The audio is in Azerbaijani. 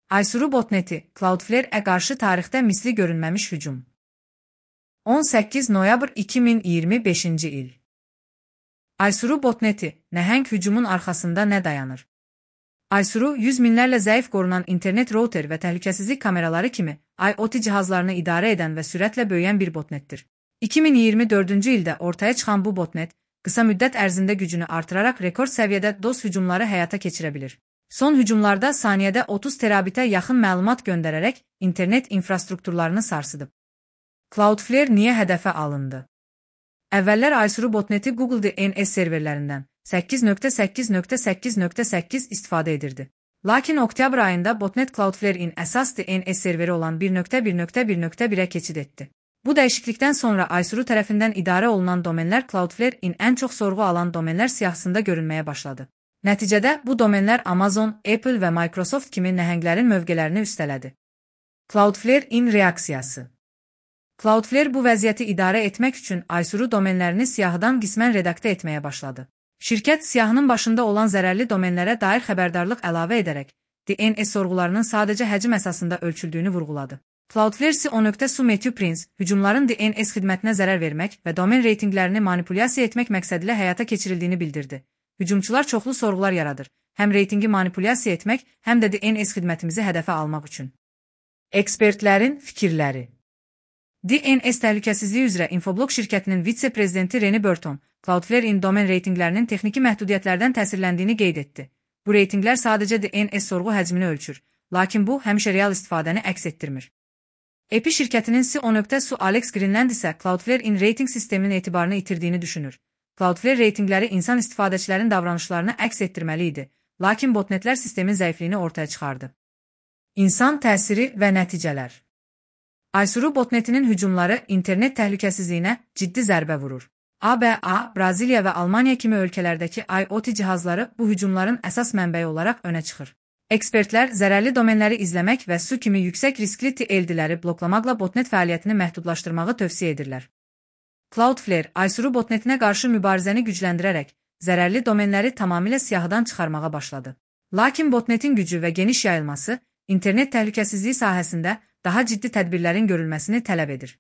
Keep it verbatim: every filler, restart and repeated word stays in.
Aysuru botneti, Cloudflare-ə qarşı tarixdə misli görünməmiş hücum. on səkkiz noyabr iki min iyirmi beşinci il. Aysuru botneti, nəhəng hücumun arxasında nə dayanır? Aysuru, yüz minlərlə zəif qorunan internet router və təhlükəsizlik kameraları kimi IoT cihazlarını idarə edən və sürətlə böyüyən bir botnetdir. iki min iyirmi dördüncü ildə ortaya çıxan bu botnet, qısa müddət ərzində gücünü artıraraq rekord səviyyədə DOS hücumları həyata keçirə bilir. Son hücumlarda saniyədə otuz terabitə yaxın məlumat göndərərək internet infrastrukturlarını sarsıdıb. Cloudflare niyə hədəfə alındı? Əvvəllər Aysuru botneti Google D N S serverlərindən səkkiz nöqtə səkkiz nöqtə səkkiz nöqtə səkkiz istifadə edirdi. Lakin oktyabr ayında botnet Cloudflare-in əsas D N S serveri olan bir nöqtə bir nöqtə bir nöqtə birə keçid etdi. Bu dəyişiklikdən sonra Aysuru tərəfindən idarə olunan domenlər Cloudflare-in ən çox sorğu alan domenlər siyahısında görünməyə başladı. Nəticədə bu domenlər Amazon, Apple və Microsoft kimi nəhənglərin mövqelərini üstələdi. Cloudflare-in reaksiyası. Cloudflare bu vəziyyəti idarə etmək üçün Aysuru domenlərini siyahıdan qismən redaktə etməyə başladı. Şirkət siyahının başında olan zərərli domenlərə dair xəbərdarlıq əlavə edərək D N S sorğularının sadəcə həcm əsasında ölçüldüyünü vurğuladı. Cloudflare C O nöqtə Matthew Prince, hücumların D N S xidmətinə zərər vermək və domen reytinqlərini manipulyasiya etmək məqsədilə həyata keçirildiyini bildirdi. Hücumçular çoxlu sorğular yaradır, həm reytingi manipulyasiya etmək, həm də D N S xidmətimizi hədəfə almaq üçün. Ekspertlərin fikirləri. D N S təhlükəsizliyi üzrə Infoblox şirkətinin vitse-prezidenti Reni Burton, Cloudflare-in domen reytinqlərinin texniki məhdudiyyətlərdən təsirləndiyini qeyd etdi. Bu reytinqlər sadəcə D N S sorğu həcmini ölçür, lakin bu həmişə real istifadəni əks etdirmir. A P I şirkətinin C O nöqtə S U Alex Greenland isə Cloudflare-in reytinq sisteminin etibarını itirdiyini düşünür. Cloudflare reytinqləri insan istifadəçilərin davranışlarını əks etdirməli idi, lakin botnetlər sistemin zəifliyini ortaya çıxardı. İnsan təsiri və nəticələr. Aysuru botnetinin hücumları internet təhlükəsizliyinə ciddi zərbə vurur. A B A, Braziliya və Almaniya kimi ölkələrdəki IoT cihazları bu hücumların əsas mənbəyi olaraq önə çıxır. Ekspertlər zərərli domenləri izləmək və S U kimi yüksək riskli T L D-ləri bloklamaqla botnet fəaliyyətini məhdudlaşdırmağı tövsiyə edirlər. Cloudflare, Aysuru botnetinə qarşı mübarizəni gücləndirərək, zərərli domenləri tamamilə siyahıdan çıxarmağa başladı. Lakin botnetin gücü və geniş yayılması, internet təhlükəsizliyi sahəsində daha ciddi tədbirlərin görülməsini tələb edir.